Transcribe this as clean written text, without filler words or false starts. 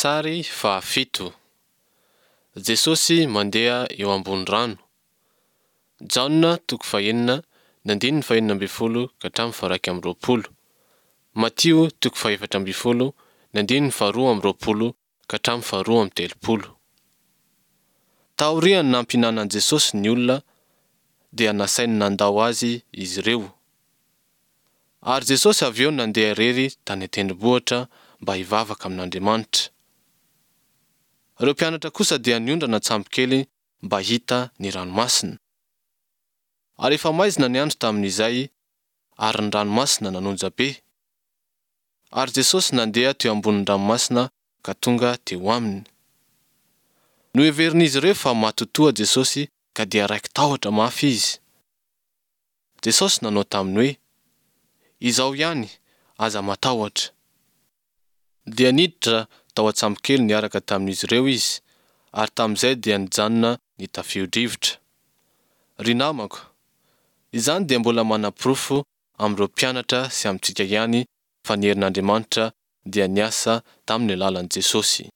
Sary fahafito. Jesosy mandeha eo ambony rano. Jaona toko fahenina ny andininy fahenina ambin'ny folo ka hatramin'ny faha iraika amby roapolo. Matio toko fahefatra ambin'ny folo ny andininy faharoa amby roapolo ka hatramin'ny faharoa amby telopolo. Taorian'ny nampihinanan'i Jesosy ny olona dia nasainy nandao azy izy ireo. Ary Jesosy avy eo nandeha irery tany an-tendrombohitra mba hivavaka amin'Andriamanitra. Ireo mpianatra kosa dia niondrana an-tsambokely mba hita ny ranomasina. Ary efa maizina ny andro tamin'izay, ary ny ranomasina nanonja be. Ary Jesosy nandeha teo ambonin'ny ranomasina ka tonga teo aminy. Noheverin'izy ireo fa matotoa Jesosy ka dia raiki-tahotra mafy izy. Jesosy nanao taminy hoe, Izao ihany, aza matahotra. Dia niditra tao an-tsambokely niaraka tamin'izy ireo izy, ary tamin'izay dia nijanona ny tafio-drivotra. Ry namako, izany dia mbola manaporofo amin'ireo mpianatra sy amintsika ihany fa ny herin'Andriamanitra dia niasa tamin'ny alalan'i Jesosy.